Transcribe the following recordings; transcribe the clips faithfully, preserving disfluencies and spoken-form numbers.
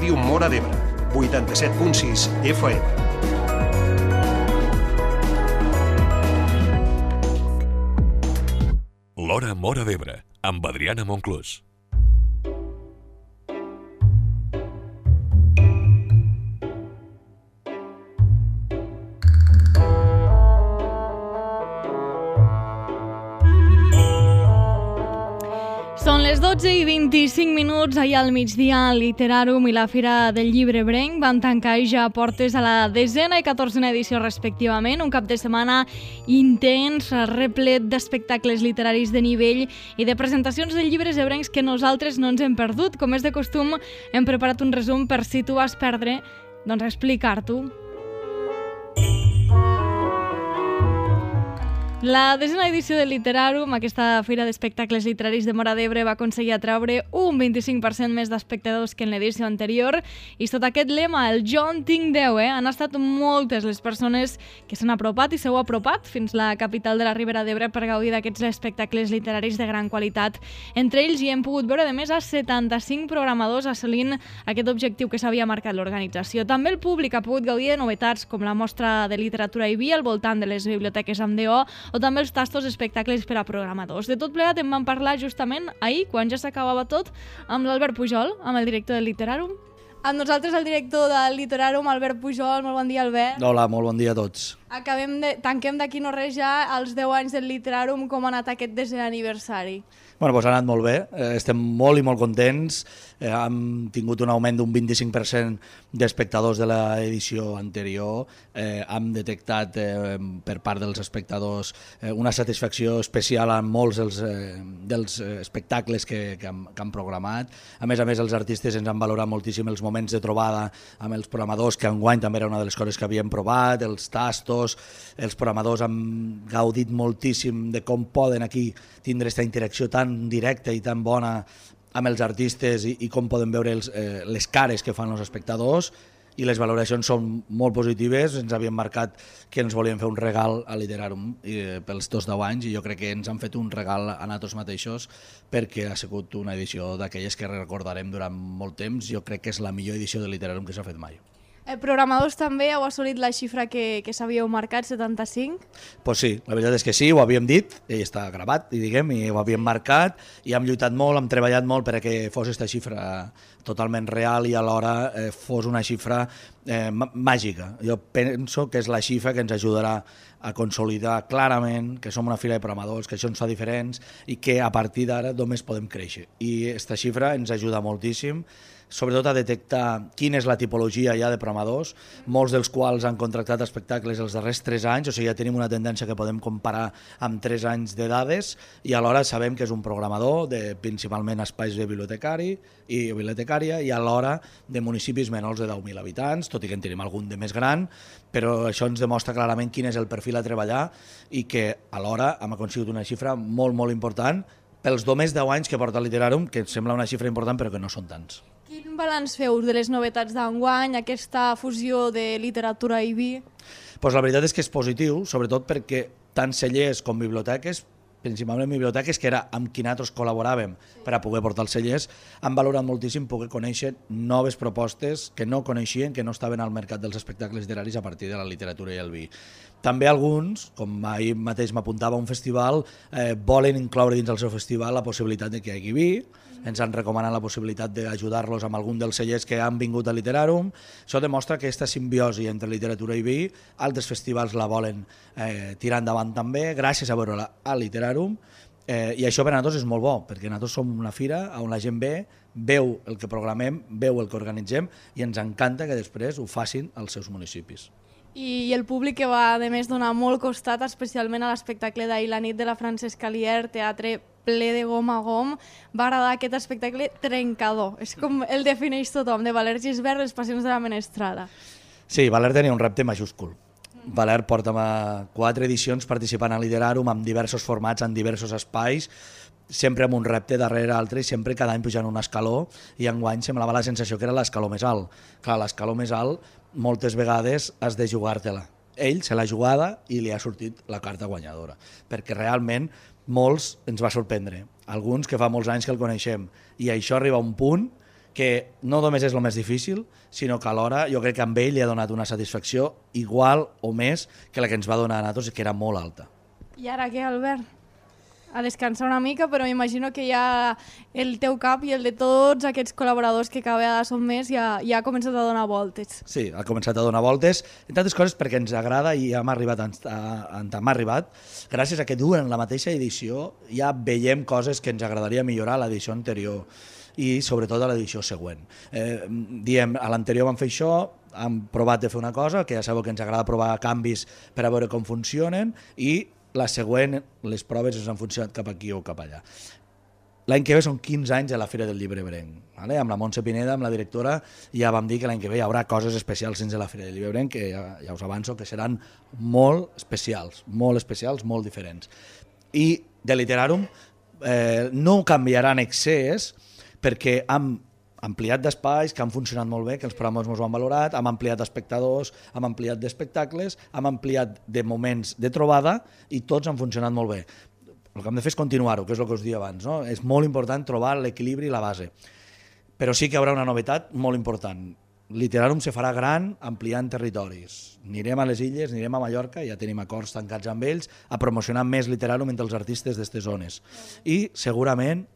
Ràdio Móra d'Ebre, vuitanta-set punt sis F M. L'Hora Móra d'Ebre, amb Adriana Monclús. Són les dotze i vint-i-cinc minuts. Ahir al migdia el Literàrum i la Fira del Llibre Ebrenc van tancar ja portes a la desena i catorzena edició respectivament. Un cap de setmana intens, replet d'espectacles literaris de nivell i de presentacions de llibres ebrencs que nosaltres no ens hem perdut. Com és de costum, hem preparat un resum per si tu vas perdre, doncs explicar-t'ho. La desena edició del Literàrum, aquesta fira d'espectacles literaris de Móra d'Ebre, va aconseguir atraure un vint-i-cinc per cent més d'espectadors que en l'edició anterior, i sota aquest lema, el Jo en tinc deu, eh? han estat moltes les persones que s'han apropat i s'heu apropat fins la capital de la Ribera d'Ebre per gaudir d'aquests espectacles literaris de gran qualitat. Entre ells hi hem pogut veure, de més, a setanta-cinc programadors assolint aquest objectiu que s'havia marcat l'organització. També el públic ha pogut gaudir de novetats com la mostra de literatura i vi al voltant de les biblioteques amb D O, o també els tastos espectacles per a programadors. De tot plegat en vam parlar justament ahir, quan ja s'acabava tot, amb l'Albert Pujol, amb el director del Literàrum. Amb nosaltres el director del Literàrum, Albert Pujol. Molt bon dia, Albert. Hola, molt bon dia a tots. Acabem de, tanquem d'aquí no res ja els deu anys del Literàrum. Com ha anat aquest desè aniversari? Bueno, doncs ha anat molt bé, eh, estem molt i molt contents, eh, hem tingut un augment d'un vint-i-cinc per cent d'espectadors de l'edició anterior, eh, hem detectat eh, per part dels espectadors eh, una satisfacció especial en molts dels, eh, dels espectacles que, que, hem, que han programat. A més a més, els artistes ens han valorat moltíssim els moments de trobada amb els programadors, que enguany també era una de les coses que havíem provat, els tastos, els programadors han gaudit moltíssim de com poden aquí tindre aquesta interacció tan directa i tan bona amb els artistes i, i com podem veure els, eh, les cares que fan els espectadors, i les valoracions són molt positives. Ens havien marcat que ens volien fer un regal a Literàrum eh, pels dos deu anys, i jo crec que ens han fet un regal a nosaltres mateixos, perquè ha sigut una edició d'aquelles que recordarem durant molt temps. Jo crec que és la millor edició de Literàrum que s'ha fet mai. Eh, programadors també heu assolit la xifra que, que s'havíeu marcat, setanta-cinc? Pues sí, la veritat és que sí, ho havíem dit, i està gravat, i diguem, i ho havíem marcat, i hem lluitat molt, hem treballat molt perquè fos aquesta xifra totalment real i alhora eh, fos una xifra eh, màgica. Jo penso que és la xifra que ens ajudarà a consolidar clarament que som una fira de programadors, que això ens fa diferents i que a partir d'ara només podem créixer. I aquesta xifra ens ajuda moltíssim, sobretot a detectar quina és la tipologia ja de programadors, molts dels quals han contractat espectacles els darrers tres anys, o sigui, ja tenim una tendència que podem comparar amb tres anys de dades, i alhora sabem que és un programador de principalment espais de bibliotecari i bibliotecària, i alhora de municipis menors de deu mil habitants, tot i que en tenim algun de més gran, però això ens demostra clarament quin és el perfil a treballar, i que alhora hem aconseguit una xifra molt, molt important pels només deu anys que porta el Literàrum, que sembla una xifra important però que no són tants. Quin balanç feu de les novetats d'enguany, aquesta fusió de literatura i vi? Pues la veritat és que és positiu, sobretot perquè tant cellers com biblioteques, principalment biblioteques, que era amb qui nosaltres col·laboràvem per a poder portar els cellers, han valorat moltíssim poder conèixer noves propostes que no coneixien, que no estaven al mercat dels espectacles literaris a partir de la literatura i el vi. També alguns, com ahir mateix m'apuntava un festival, eh, volen incloure dins del seu festival la possibilitat de que hi hagi vi. Ens han recomanat la possibilitat d'ajudar-los amb algun dels cellers que han vingut a Literàrum. Això demostra que aquesta simbiosi entre literatura i vi, altres festivals la volen eh, tirar endavant també, gràcies a veure-la a Literàrum, eh, i això per a nosaltres és molt bo, perquè nosaltres som una fira on la gent ve, veu el que programem, veu el que organitzem, i ens encanta que després ho facin als seus municipis. I el públic que va, a més, donar molt costat, especialment a l'espectacle d'ahir, la nit de la Francesca Lier, teatre ple de gom a gom, va agradar aquest espectacle trencador. És com el defineix tothom, de Valer Gisbert, les passions de la menestrada. Sí, Valer tenia un repte majúscul. Valer porta quatre edicions participant a Literàrum amb diversos formats, en diversos espais, sempre amb un repte darrere l'altre i sempre cada any pujant un escaló, i enguany semblava la sensació que era l'escaló més alt. Clar, l'escaló més alt moltes vegades has de jugar-te-la. Ell se l'ha jugada i li ha sortit la carta guanyadora, perquè realment molts ens va sorprendre, alguns que fa molts anys que el coneixem, i això arriba a un punt que no només és el més difícil, sinó que alhora jo crec que amb ell li ha donat una satisfacció igual o més que la que ens va donar a nosaltres, que era molt alta. I ara què, Albert? A descansar una mica, però m'imagino que ja el teu cap i el de tots aquests col·laboradors que cada vegada són més ja, ja ha començat a donar voltes. Sí, ha començat a donar voltes, entre altres coses perquè ens agrada i hem arribat on hem arribat. Gràcies a que duen la mateixa edició ja veiem coses que ens agradaria millorar a l'edició anterior i sobretot a l'edició següent. Eh, diem, a l'anterior vam fer això, hem provat de fer una cosa, que ja sabeu que ens agrada provar canvis per a veure com funcionen, i la següent, les proves ens han funcionat cap aquí o cap allà. L'any que ve són quinze anys a la Fira del Llibre Ebrenc. Vale? Amb la Montse Pineda, amb la directora, ja vam dir que l'any que ve hi haurà coses especials dins de la Fira del Llibre Ebrenc, que ja, ja us avanço que seran molt especials, molt especials, molt diferents. I de Literàrum eh, no canviarà en excés, perquè hem ampliat d'espais, que han funcionat molt bé, que els programes ens ho han valorat, hem ampliat d'espectadors, hem ampliat d'espectacles, hem ampliat de moments de trobada i tots han funcionat molt bé. El que hem de fer és continuar-ho, que és el que us deia abans, no? És molt important trobar l'equilibri i la base. Però sí que hi haurà una novetat molt important. Literàrum se farà gran ampliant territoris. Anirem a les illes, anirem a Mallorca, ja tenim acords tancats amb ells, a promocionar més Literàrum entre els artistes d'aquestes zones. I segurament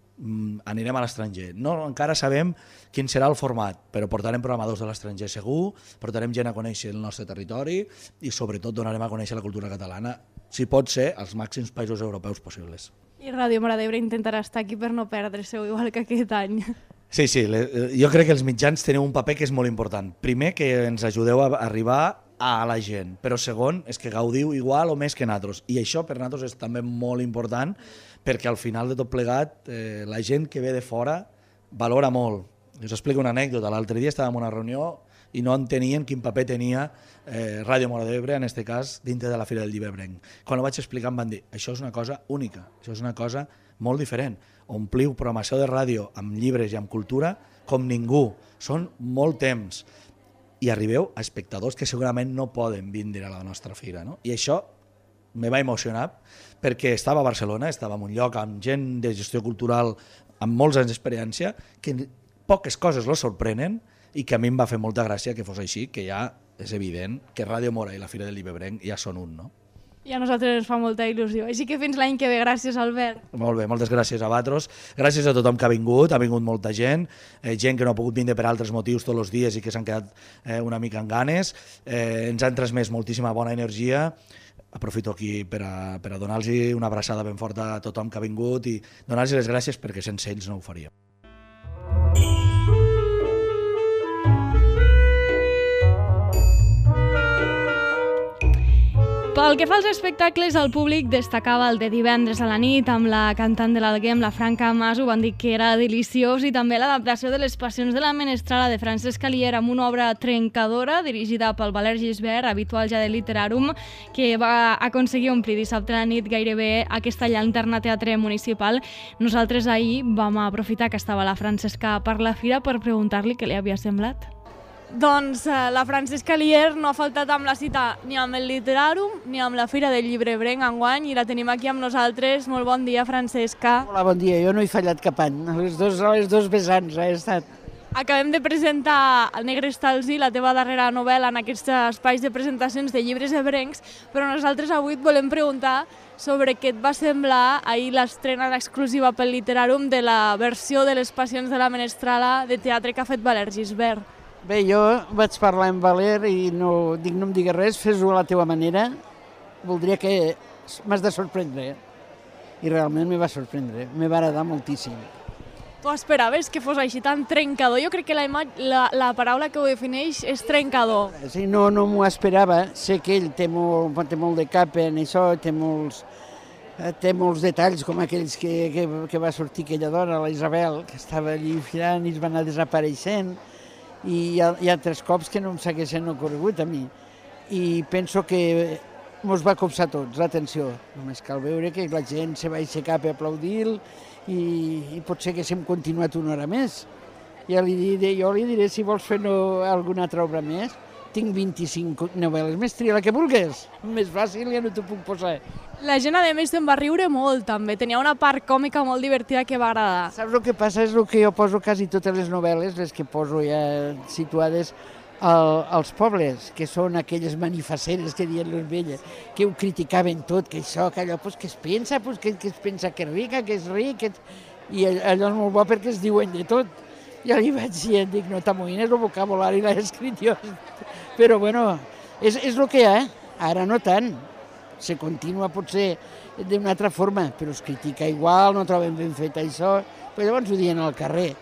anirem a l'estranger. No, encara sabem quin serà el format, però portarem programadors de l'estranger segur, portarem gent a conèixer el nostre territori i sobretot donarem a conèixer la cultura catalana, si pot ser, als màxims països europeus possibles. I Ràdio Móra d'Ebre intentarà estar aquí per no perdre-se-ho, igual que aquest any. Sí, sí, jo crec que els mitjans teniu un paper que és molt important. Primer, que ens ajudeu a arribar a la gent, però segon, és que gaudiu igual o més que nosaltres. I això per nosaltres és també molt important, perquè al final de tot plegat eh, la gent que ve de fora valora molt. Us explico una anècdota. L'altre dia estàvem en una reunió i no entenien quin paper tenia eh, Ràdio Móra d'Ebre, en aquest cas, dintre de la Fira del Llibre Ebrenc. Quan ho vaig explicar em van dir, això és una cosa única, això és una cosa molt diferent. Ompliu programació de ràdio amb llibres i amb cultura com ningú. Són molt temps. I arribeu a espectadors que segurament no poden vindre a la nostra fira. No? I això me va emocionar perquè estava a Barcelona, estava en un lloc amb gent de gestió cultural amb molts anys d'experiència, que poques coses lo sorprenen i que a mi em va fer molta gràcia que fos així, que ja és evident que Ràdio Móra i la Fira del Llibre Ebrenc ja són un, no? I a nosaltres ens fa molta il·lusió. Així que fins l'any que ve. Gràcies, Albert. Molt bé, moltes gràcies a vosaltres. Gràcies a tothom que ha vingut, ha vingut molta gent, eh, gent que no ha pogut vindre per altres motius tots els dies i que s'han quedat eh, una mica en ganes. Eh, ens han transmès moltíssima bona energia. Aprofito aquí per a, per a donar-los una abraçada ben forta a tothom que ha vingut i donar-los les gràcies perquè sense ells no ho faríem. Pel que fa als espectacles, el públic destacava el de divendres a la nit amb la cantant de l'Alguem, la Franca Maso, van dir que era deliciós, i també l'adaptació de les Passions de la Menestrala de Francesc Calier amb una obra trencadora dirigida pel Valère Gisbert, habitual ja de Literàrum, que va aconseguir omplir dissabte a la nit gairebé aquesta llanterna teatre municipal. Nosaltres ahir vam aprofitar que estava la Francesca per la fira per preguntar-li què li havia semblat. Doncs eh, la Francesca Calier no ha faltat amb la cita ni amb el Literàrum ni amb la Fira del Llibre Ebrenc enguany, i la tenim aquí amb nosaltres. Molt bon dia, Francesca. Hola, bon dia. Jo no he fallat cap any. A les dos, a les dos vessants he estat. Acabem de presentar El negre Estalzi, la teva darrera novel·la, en aquests espais de presentacions de llibres ebrencs, però nosaltres avui et volem preguntar sobre què et va semblar ahir l'estrena exclusiva pel Literàrum de la versió de les Passions de la Menestrala de teatre que ha fet Valère Gisbert. Bé, jo vaig parlar amb Valer i no, dic, no em digues res, fes-ho a la teva manera. Voldria que m'has de sorprendre. I realment me va sorprendre, me va agradar moltíssim. Tu esperaves que fos així tan trencador? Jo crec que la, la, la paraula que ho defineix és trencador. Sí, no, no m'ho esperava. Sé que ell té molt, té molt de cap en això, té molts, té molts detalls, com aquells que, que, que va sortir aquella dona, la Isabel, que estava allí filant i es va anar desapareixent. I hi ha, hi ha tres cops que no em segueixen ocorregut a mi. I penso que mos va copsar tots l'atenció. Només cal veure que la gent se va aixecar per aplaudir i, i potser que s'hem continuat una hora més. Ja li diré, jo li diré si vols fer no, alguna altra obra més, tinc vint-i-cinc novel·les més, tria la que vulguis. Més fàcil ja no t'ho puc posar. La gent, a més, se'n va riure molt, també. Tenia una part còmica molt divertida que va agradar. Saps el que passa? És el que jo poso quasi totes les novel·les, les que poso ja situades al, als pobles, que són aquelles manifacceres que diuen les velles, que ho criticaven tot, que això, que allò, pues, que es pensa, pues, que, que es pensa que és rica, que és ric, que... i allò és molt bo perquè es diuen de tot. Ja li vaig dir, dic, no t'amoïnes, el vocabulari l'he escrit jo. Però bueno, és, és el que hi ha, ara no tant. Se continua potser d'una altra forma, però es critica igual, no trobem ben fet això, però llavors ho diuen al carrer.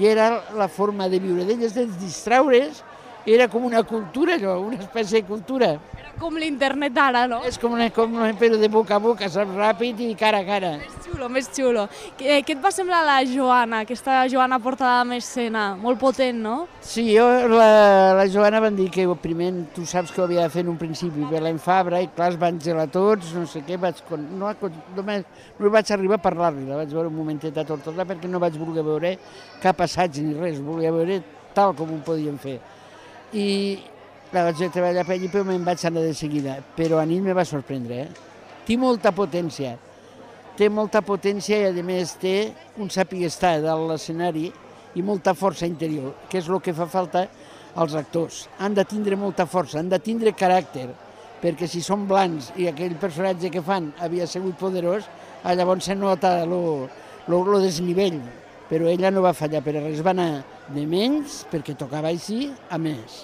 I era la forma de viure d'elles, de distraure's, era com una cultura, allò, una espècie de cultura. Era com l'internet ara, no? És com una, com una però de boca a boca, saps, ràpid i cara a cara. Més xulo, més xulo. Què, què et va semblar la Joana, aquesta Joana portada amb escena? Molt potent, no? Sí, jo, la, la Joana van dir que primer tu saps que ho havia de fer en un principi, Belén Fabra, i clar, es van gelar tots, no sé què, vaig, no, només, no vaig arribar a parlar-li, la vaig veure un momentet a Tortosa perquè no vaig voler veure cap assaig ni res, volia veure tal com ho podien fer. I la vaig treballar per allà, però me'n vaig anar de seguida. Però a nit me va sorprendre, eh? Té molta potència, té molta potència i a més té un sàpiga estar dalt l'escenari i molta força interior, que és el que fa falta als actors. Han de tindre molta força, han de tindre caràcter, perquè si són blancs i aquell personatge que fan havia sigut poderós, llavors se nota el desnivell. Però ella no va fallar per res, va anar de menys, perquè tocava així, a més.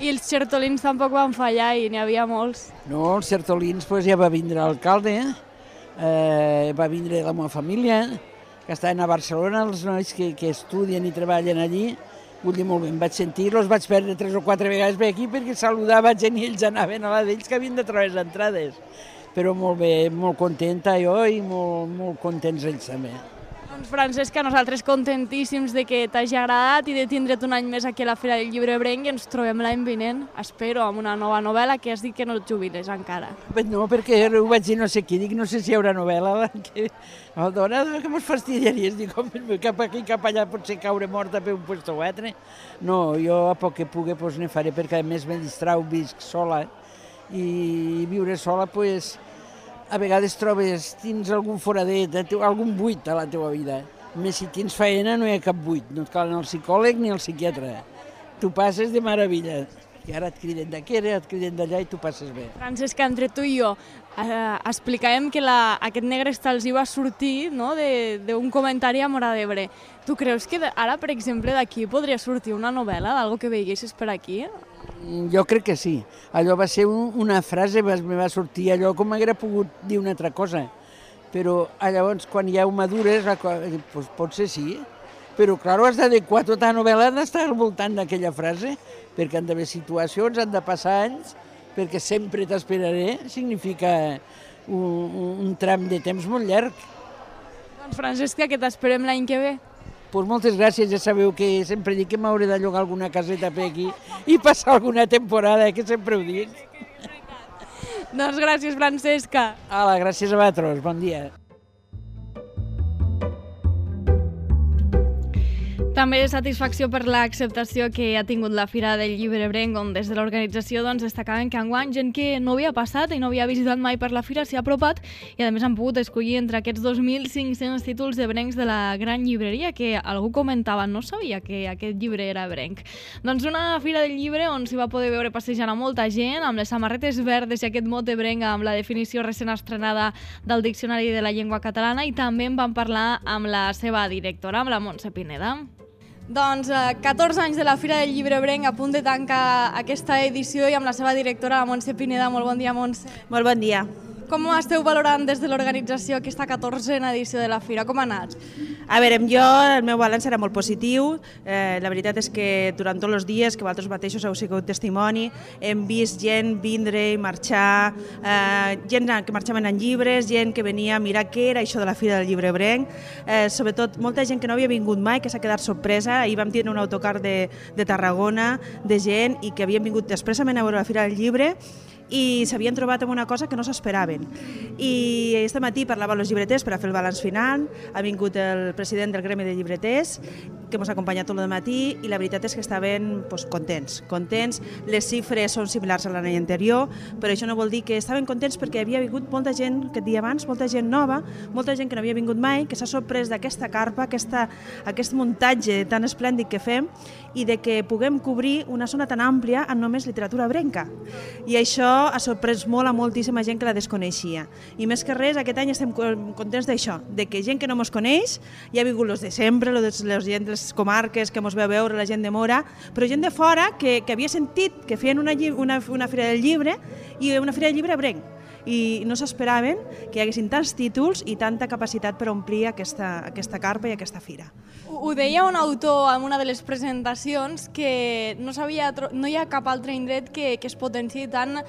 I els xertolins tampoc van fallar i n'hi havia molts. No, els xertolins pues, ja va vindre l'alcalde, eh, va vindre la meva família, que estaven a Barcelona, els nois que, que estudien i treballen allí. Vull dir, molt bé, em vaig sentir, els vaig perdre tres o quatre vegades per aquí perquè saludava gent i ells anaven a la d'ells que havien de trobar les entrades. Però molt bé, molt contenta jo i molt, molt contents ells també. Doncs Francesca, nosaltres contentíssims de que t'hagi agradat i de tindre't un any més aquí a la Fira del Llibre Ebrenc i ens trobem l'any vinent, espero, amb una nova novel·la que has dit que no et jubiles encara. No, perquè ho vaig dir no sé qui, dic no sé si hi haurà novel·la, que el dona que mos fastidiaries, dic cap aquí, cap allà, potser caure morta per un puesto o altre. No, jo a poc que pugui doncs ne faré, perquè a més me distrau, visc sola i viure sola, doncs, a vegades trobes, tens algun foradet, algun buit a la teva vida. Més si tens feina no hi ha cap buit, no et cal el psicòleg ni el psiquiatre. Tu passes de meravella. I ara et criden d'aquí, ara et criden d'allà i tu passes bé. Francesca, entre tu i jo, eh, explicàvem que la, aquest Negrestal els hi va sortir no, d'un comentari a Móra d'Ebre. Tu creus que ara, per exemple, d'aquí podria sortir una novel·la d'algo que veiessis per aquí? Jo crec que sí. Allò va ser un, una frase, me va sortir allò com m'haguera pogut dir una altra cosa. Però llavors, quan ja ho madures, doncs potser sí. Però, clar, has d'adequar tota la novel·la, ha d'estar al voltant d'aquella frase, perquè han d'haver situacions, han de passar anys, perquè sempre t'esperaré, significa un, un, un tram de temps molt llarg. Doncs, Francesca, que t'esperem l'any que ve. Pues moltes gràcies, ja sabeu que sempre dic que m'hauré de llogar alguna caseta per aquí i passar alguna temporada, que sempre ho dic. Doncs gràcies, Francesca. Hola, gràcies a vosaltres, bon dia. També satisfacció per l'acceptació que ha tingut la Fira del Llibre Ebrenc, on des de l'organització doncs, destacaven que enguany gent que no havia passat i no havia visitat mai per la Fira s'hi ha apropat i a més han pogut escollir entre aquests dos mil cinc-cents títols d'ebrencs de la gran llibreria, que algú comentava, no sabia que aquest llibre era ebrenc. Doncs una Fira del Llibre on s'hi va poder veure passejant a molta gent, amb les samarretes verdes i aquest mot ebrenc amb la definició recent estrenada del Diccionari de la Llengua Catalana, i també en vam parlar amb la seva directora, amb la Montse Pineda. Doncs eh, catorze anys de la Fira del Llibre Ebrenc, a punt de tancar aquesta edició, i amb la seva directora, la Montse Pineda. Molt bon dia, Montse. Molt bon dia. Com esteu valorant des de l'organització aquesta catorzena edició de la Fira? Com ha anat? A veure, jo, el meu balanç era molt positiu. Eh, la veritat és que durant tots els dies, que vosaltres mateixos heu sigut testimoni, hem vist gent vindre i marxar, eh, gent que marxaven en llibres, gent que venia a mirar què era això de la Fira del Llibre Ebrenc, eh, sobretot molta gent que no havia vingut mai, que s'ha quedat sorpresa. Ahir vam tenir un autocar de, de Tarragona, de gent, i que havien vingut expressament a veure la Fira del Llibre, i s'havien trobat amb una cosa que no s'esperaven. I este matí parlava amb els llibreters per a fer el balanç final, ha vingut el president del Gremi de Llibreters que ens ha acompanyat tot el matí i la veritat és que estaven pues, contents. Contents, les xifres són similars a l'any anterior, però això no vol dir que estaven contents perquè havia vingut molta gent, aquest dia abans, molta gent nova, molta gent que no havia vingut mai, que s'ha sorprès d'aquesta carpa, aquesta, aquest muntatge tan esplèndid que fem i de que puguem cobrir una zona tan àmplia amb només literatura ebrenca. I això ha sorprès molt a moltíssima gent que la desconeixia. I més que res, aquest any estem contents d'això, de que gent que no ens coneix, hi ha vingut els de sempre, els de gent de les comarques que ens veu veure, la gent de Mora, però gent de fora que, que havia sentit que feien una, una, una fira del llibre i una fira del llibre ebrenc. I no s'esperaven que hi haguessin tants títols i tanta capacitat per omplir aquesta, aquesta carpa i aquesta fira. Ho deia un autor en una de les presentacions que no, sabia, no hi ha cap altre indret que, que es potenciï tant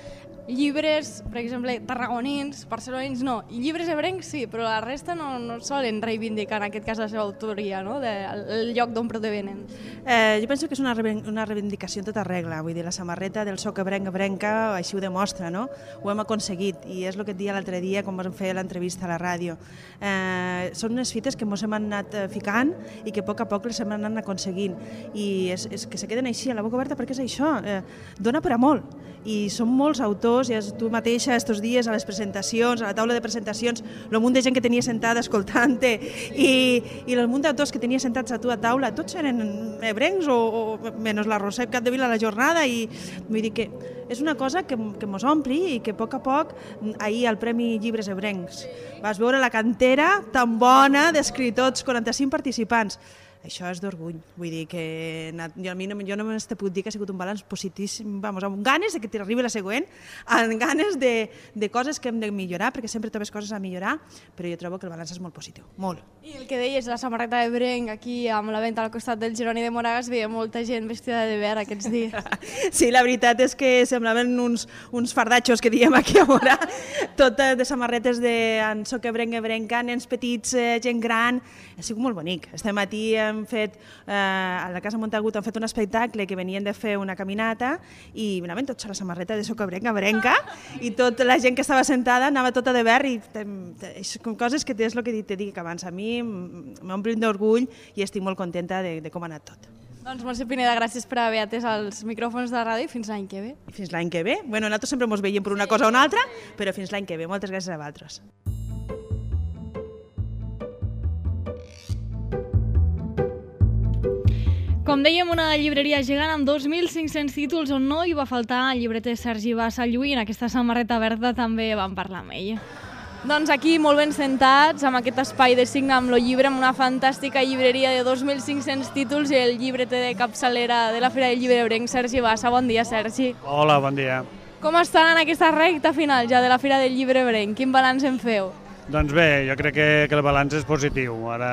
llibres, per exemple, tarragonins, barcelonins no, i llibres ebrencs sí, però la resta no, no solen reivindicar en aquest cas la seva autoria, no? De, el lloc d'on provenen. Eh, jo penso que és una, una reivindicació en tota regla, vull dir, la samarreta del soc ebrenc ebrenca així ho demostra, no? Ho hem aconseguit i és el que et dia l'altre dia quan vam fer l'entrevista a la ràdio. Eh, són unes fites que ens hem anat ficant i que a poc a poc les hem anat aconseguint i és, és que se queden així a la boca oberta perquè és això, eh, dona per a molt i són molts autors, i tu mateixa estos dies a les presentacions, a la taula de presentacions, el munt de gent que tenia sentada escoltant-te i, i el munt d'autors que tenia sentats a tu a taula, tots eren ebrencs o, o menys la Roser Capdevila a la jornada i vull dir que és una cosa que, que mos ompli i que a poc a poc, ahir al Premi Llibres Ebrencs, vas veure la cantera tan bona d'escriptors, quaranta-cinc participants. Això és d'orgull, vull dir que jo, a mi no, jo només te puc dir que ha sigut un balanç positíssim, vamos, amb ganes de que t'arribi la següent, amb ganes de, de coses que hem de millorar, perquè sempre trobes coses a millorar, però jo trobo que el balanç és molt positiu, molt. I el que deies, la samarreta ebrenc aquí amb la venda al costat del Jeroni de Moragas, veia molta gent vestida de verd aquests dies. Sí, la veritat és que semblaven uns, uns fardatxos que diem aquí a Mora, totes de samarretes de en soc ebrenc, ebrenca, nens petits, gent gran, ha sigut molt bonic. Este matí hem fet, eh, a la Casa Montagut han fet un espectacle que venien de fer una caminata i anaven tots a la samarreta de soc ebrenc, ebrenca i tota la gent que estava sentada anava tota de verd i són coses que és el que t'he dit abans. A mi m'omplin d'orgull i estic molt contenta de, de com ha anat tot. Doncs Montse Pineda, gràcies per haver atès els micròfons de la ràdio i fins l'any que ve. I fins l'any que ve. Bueno, nosaltres sempre ens veiem per una cosa o una altra, però fins l'any que ve. Moltes gràcies a vosaltres. Com dèiem, una llibreria gegant amb dos mil cinc-cents títols on no hi va faltar el llibreter Sergi Bassa Lluí. En aquesta samarreta verda també vam parlar amb ell. Doncs aquí, molt ben sentats, amb aquest espai de signa amb el llibre, amb una fantàstica llibreria de dos mil cinc-cents títols i el llibreter de capçalera de la Fira del Llibre Ebrenc, Sergi Bassa. Bon dia, Sergi. Hola, bon dia. Com estan en aquesta recta final ja de la Fira del Llibre Ebrenc? Quin balanç en feu? Doncs bé, jo crec que, que el balanç és positiu. Ara,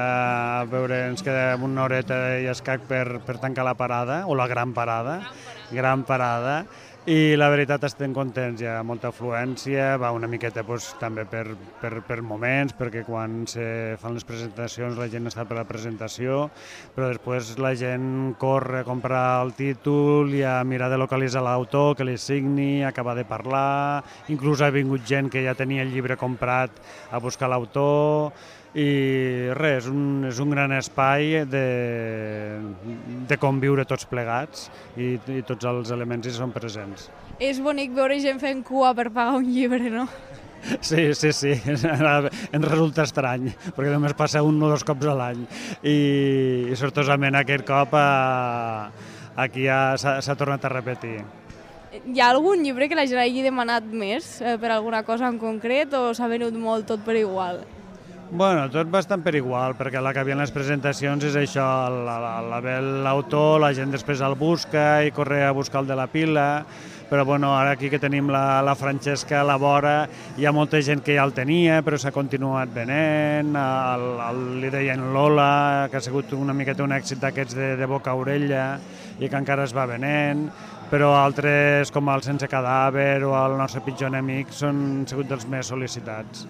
a veure, ens queda una horeta i escac per, per tancar la parada, o la gran parada, gran parada, i la veritat estem contents, hi ha molta afluència, va una miqueta doncs, també per, per, per moments, perquè quan se fan les presentacions la gent està per la presentació, però després la gent corre a comprar el títol i a mirar de localitzar l'autor, que li signi, acabar de parlar, inclús ha vingut gent que ja tenia el llibre comprat a buscar l'autor, i res, un, és un gran espai de, de conviure tots plegats i, i tots els elements hi són presents. És bonic veure gent fent cua per pagar un llibre, no? Sí, sí, sí, ens resulta estrany, perquè només passa un o dos cops a l'any i, i sortosament aquest cop a, aquí s'ha tornat a repetir. Hi ha algun llibre que la gent hagi demanat més eh, per alguna cosa en concret o s'ha venut molt tot per igual? Bueno, tot bastant per igual, perquè la que havia en les presentacions és això, la ve l'autor, la gent després el busca i corre a buscar el de la pila, però bueno, ara aquí que tenim la, la Francesca a la vora, hi ha molta gent que ja el tenia, però s'ha continuat venent, el, el, li deien Lola, que ha sigut una miqueta un èxit d'aquests de, de boca a orella i que encara es va venent, però altres com el Sense cadàver o el Nostre pitjor enemic són sigut dels més sol·licitats.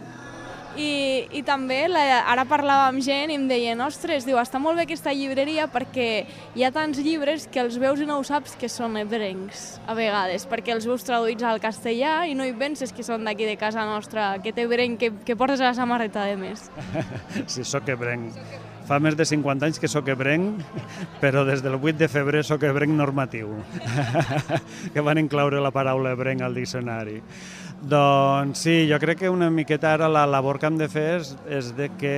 I, i també la, ara parlava amb gent i em deien, ostres, diu, està molt bé aquesta llibreria perquè hi ha tants llibres que els veus i no ho saps que són ebrencs a vegades, perquè els veus traduïts al castellà i no hi penses que són d'aquí de casa nostra, aquest ebrenc que, que portes a la samarreta de més. Sí, soc ebrenc. fa més de cinquanta anys que soc ebrenc, però des del vuit de febrer soc ebrenc normatiu, que van incloure la paraula ebrenc al diccionari. Doncs sí, jo crec que una miqueta ara la labor que hem de fer és, és de que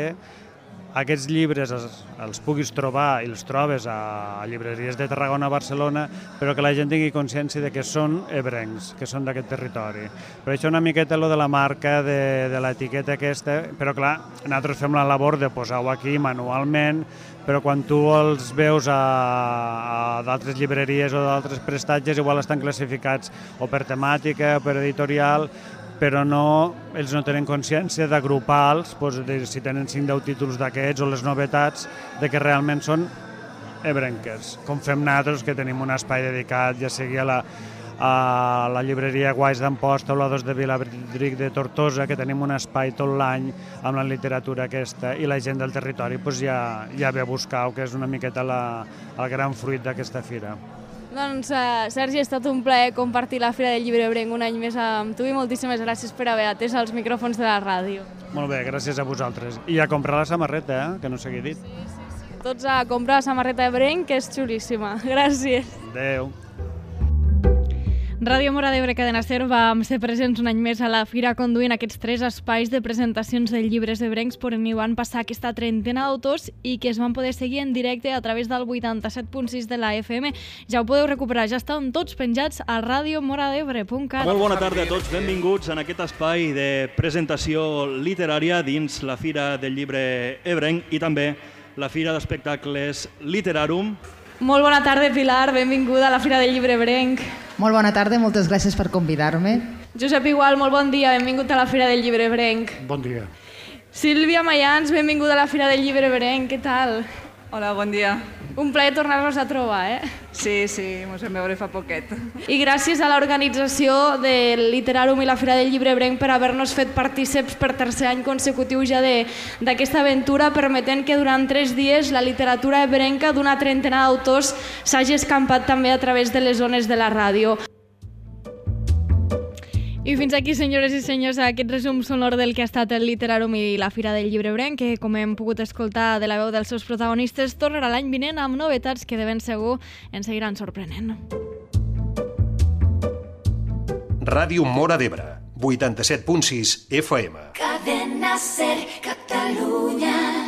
aquests llibres els, els puguis trobar i els trobes a, a llibreries de Tarragona, Barcelona, però que la gent tingui consciència de que són ebrencs, que són d'aquest territori. Per això una miqueta lo de la marca, de, de l'etiqueta aquesta, però clar, nosaltres fem la labor de posar-ho aquí manualment, però quan tu els veus a, a d'altres llibreries o d'altres prestatges, igual estan classificats o per temàtica o per editorial, però no, ells no tenen consciència d'agrupar-los, doncs, de, si tenen cinc deu títols d'aquests o les novetats, de que realment són ebrenques, com fem nosaltres, que tenim un espai dedicat, ja sigui a la, a la llibreria Guais d'Amposta o la dos de Viladric de Tortosa, que tenim un espai tot l'any amb la literatura aquesta, i la gent del territori doncs, ja, ja ve a buscar-ho, que és una miqueta la, el gran fruit d'aquesta fira. Doncs, uh, Sergi, ha estat un plaer compartir la Fira del Llibre Ebrenc un any més amb tu i moltíssimes gràcies per haver atès els micròfons de la ràdio. Molt bé, gràcies a vosaltres. I a comprar la samarreta, eh? Que no s'hagi dit. Sí, sí, sí. Tots a comprar la samarreta Ebrenc, que és xulíssima. Gràcies. Adéu. Ràdio Mora d'Ebre, Cadena Ser, vam ser presents un any més a la Fira conduint aquests tres espais de presentacions de llibres ebrencs per on hi van passar aquesta trentena d'autors i que es van poder seguir en directe a través del vuitanta-set punt sis de la F M. Ja ho podeu recuperar, ja estan tots penjats a radio mora d'ebre punt cat. Molt bona tarda a tots, benvinguts en aquest espai de presentació literària dins la Fira del Llibre Ebrenc i també la Fira d'Espectacles Literarum. Molt bona tarda, Pilar, benvinguda a la Fira del Llibre Ebrenc. Molt bona tarda, moltes gràcies per convidar-me. Josep Igual, molt bon dia, benvingut a la Fira del Llibre Ebrenc. Bon dia. Sílvia Mayans, benvinguda a la Fira del Llibre Ebrenc, què tal? Hola, bon dia. Un plaer tornar-nos a trobar, eh? Sí, sí, ens vam veure fa poquet. I gràcies a l'organització del Literarum i la Fira del Llibre Ebrenc per haver-nos fet partíceps per tercer any consecutiu ja d'aquesta aventura, permetent que durant tres dies la literatura ebrenca d'una trentena d'autors s'hagi escampat també a través de les zones de la ràdio. I fins aquí, senyores i senyors, aquest resum sonor del que ha estat el Literarum i la Fira del Llibre Ebrenc, que, com hem pogut escoltar de la veu dels seus protagonistes, tornarà l'any vinent amb novetats que de ben segur ens seguiran sorprenent. Ràdio Mora d'Ebre, vuitanta-set punt sis F M. Cadena Ser, Catalunya.